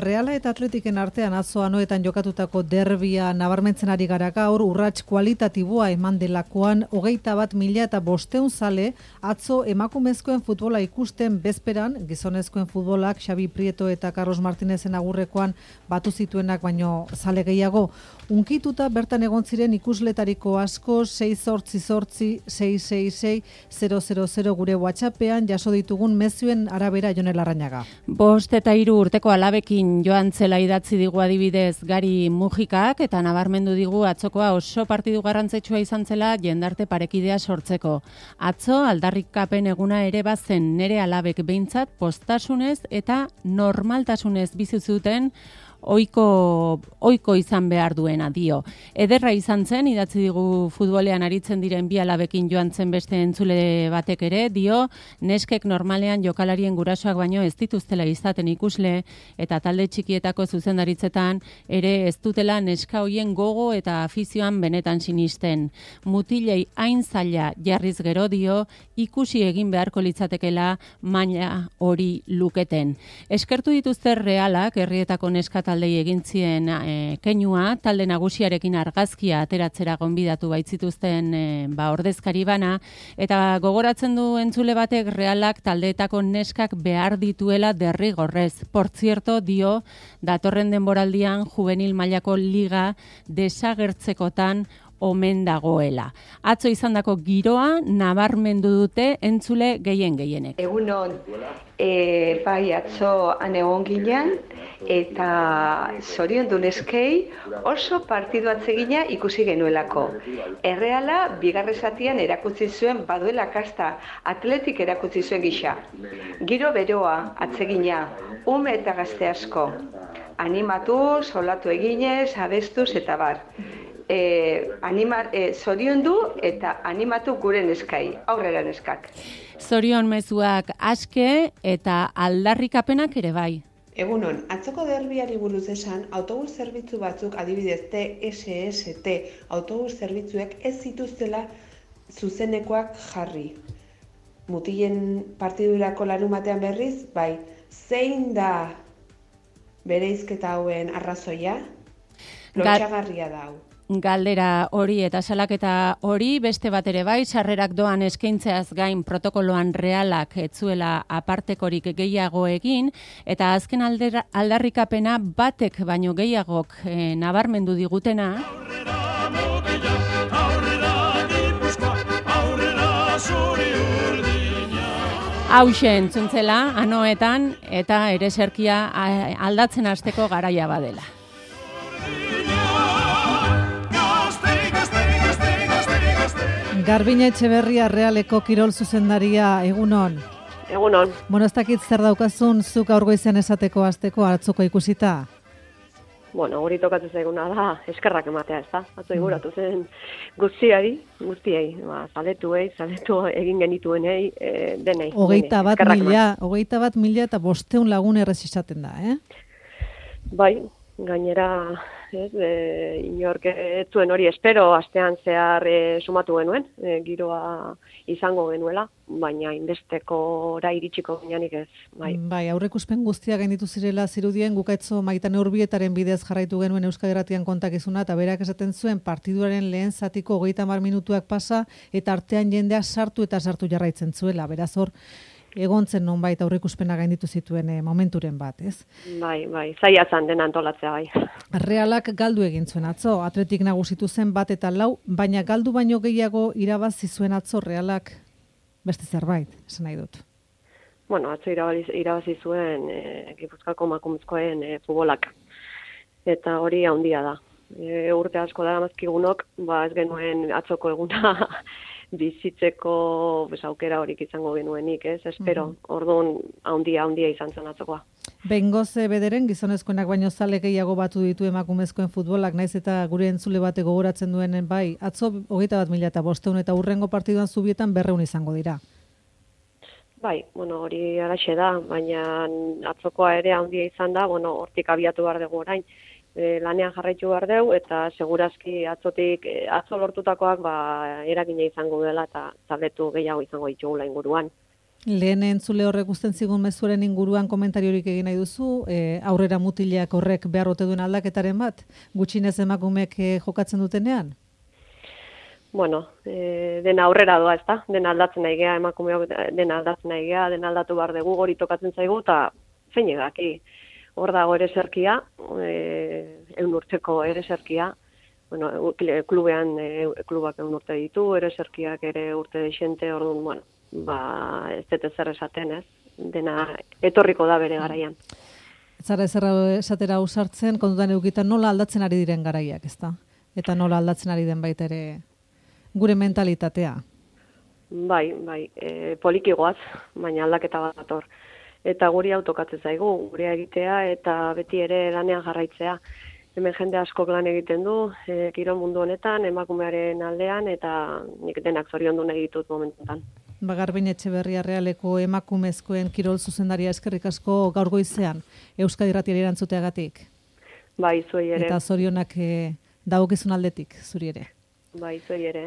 Reala eta Atletiken artean atzo anoetan jokatutako derbia nabarmentzen ari gara gaur, urrats kualitatiboa eman delakoan 21.500 zale atzo emakumezkoen futbola ikusten bezperan, gizonezkoen futbolak Xabi Prieto eta Carlos Martinezen agurrekoan batu zituenak baino zale gehiago. Unkituta bertan egon ziren ikusletariko asko 688-666-000 gure WhatsAppean jaso ditugun mezuen arabera Jon Larrañaga. 5 eta 3 urteko alabekin joan zela idatzi digu adibidez Gari Mujikak eta nabarmendu digu atzokoa oso partidu garrantzitsua izan zela jendarte parekidea sortzeko. Atzo aldarrikapen eguna ere bazen nere alabek behintzat postasunez eta normaltasunez bizi zuten oiko izan behar duena dio. Ederra izan zen, idatzi digu futbolean aritzen diren bi alabekin joan zen beste entzule batek ere, dio neskek normalean jokalarien gurasoak baino ez dituztela izaten ikusle eta talde txikietako zuzendaritzetan ere ez dutela neska hoien gogo eta afizioan benetan sinisten. Mutilei hain zaila jarriz gero dio ikusi egin beharko litzatekela maila hori luketen. Eskertu dituzte Realak, herrietako neska taldei egin zien keinua, talde nagusiarekin argazkia ateratzera gonbidatu baitzituzten ordezkari bana, eta gogoratzen du entzule batek Realak taldeetako neskak behar dituela derrigorrez. Por cierto, dio, datorren denboraldian juvenil mailako liga desagertzekotan omen dagoela. Atzo izandako giroa nabarmendu dute entzule gehienek. Egunon, bai atzo egon ginen eta zoriondu neskei oso partidu atsegina ikusi genuelako. Erreala bigarren zatian erakutsi zuen baduela kasta, Atletik erakutsi zuen gisa. Giro beroa atsegina, ume eta gazte asko. Animatu, solatu eginez, abestuz eta bar. Zoriondu eta animatu gure neskai, aurrera neskak. Zorion mezuak aske eta aldarrikapenak ere bai. Egunon, atzoko derbiari buruz esan, autobus zerbitzu batzuk adibidez TSST autobus zerbitzuek ez zituztela zuzenekoak jarri. Mutilen partidurako larumatean berriz, bai, zein da bereizketa hauen arrazoia? Lotxagarria da hau. Galdera hori eta salaketa hori beste bat ere bai, sarrerak doan eskaintzeaz gain protokoloan Realak etzuela apartekorik gehiago egin, eta azken aldarrikapena batek baino gehiagok nabarmendu digutena. Hauxe entzuntzela, anoetan, eta ere zerkia aldatzen hasteko garaia badela. Garbine Etxeberria Realeko kirol zuzendaria, egunon. Egunon. Ez dakit zer daukazun zuk aur goizean esateko hasteko atzoko ikusita? Hori tokatzen zaiguna da, eskerrak ematea, ez da? Atzo iguratu zen guztiei, zaletu egin genituenei, denei. 21.500 lagun errez izaten da, Bai, gainera, inork ez zuen hori espero, astean zehar sumatu genuen, giroa izango genuela, baina inbestekora iritsiko gineanik ez. Bai, aurreikuspen guztiak gainditu zirela zirudien, gukaitzo Maitane Urbietaren bidez jarraitu genuen Euskadi Irratian kontakizuna, eta berak esaten zuen partiduaren lehen zatiko 30 minutuak pasa, eta artean jendea sartu jarraitzen zuela, beraz hor, egontzen nonbait aurreikuspena gainditu zituen momenturen bat, ez? Bai, zaila zan dena antolatzea, bai. Realak galdu egin zuen atzo, Atletik nagusitu zen 1-4, baina galdu baino gehiago irabazi zuen atzo Realak beste zerbait, esan nahi dut. Atzo irabazi zuen Gipuzkoako emakumezkoen futbolak, eta hori handia da. Urte asko da mazkigunok, ez genuen atzoko eguna bizitzeko aukera horik izango genuenik, ez? Espero, orduan handia izan zen atzokoa. Behingoz bederen, gizonezkoenak baino zale gehiago batu ditu emakumezkoen futbolak, naiz eta gure entzule bate gogoratzen duenen bai, atzo 21.500 eta hurrengo partiduan Zubietan 200 izango dira. Bai, hori alaxe da, baina atzokoa ere handia izan da, hortik abiatu behar dugu orain. Lanean jarraitu behar dugu, eta segurazki atzo lortutakoak eragina izango dela eta zaletu gehiago izango ditugula inguruan. Lehen entzule horrek usten zigun mezuaren inguruan komentariorik egin nahi duzu, aurrera mutilak horrek behar ote duen aldaketaren bat, gutxinez emakumeek jokatzen dutenean? Bueno, dena aurrera doa, ezta? Dena aldatzen nahi gea, emakumeok dena aldatzen nahi gea, dena aldatu behar dugu, hori tokatzen zaigu, eta zein egaki. Hor dago ere zerkia, eun urteko ere zerkia, bueno, klubean, klubak eun urte ditu, ere zerkiak ere urte deixente, orduan, bueno, ez dut zer esaten, ez? Dena etorriko da bere garaian. Ez zara esatera ausartzen, kontutan edukitan nola aldatzen ari diren garaiak, ezta? Eta nola aldatzen ari den baita ere gure mentalitatea. Bai, poliki goaz, baina aldaketa bat dator. Eta guri autokatzen zaigu, gurea egitea eta beti ere lanean jarraitzea. Hemen jende askok lan egiten du, kirol mundu honetan, emakumearen aldean, eta nik denak zoriondu nahi ditut momentan. Garbin Etxeberria Realeko emakumezkoen kirol zuzendaria eskerrik asko gaur goizean, Euskadi Irratiari erantzuteagatik. Bai, zuei ere. Eta zorionak dagokizun aldetik, zuri ere. Bai, zuei ere.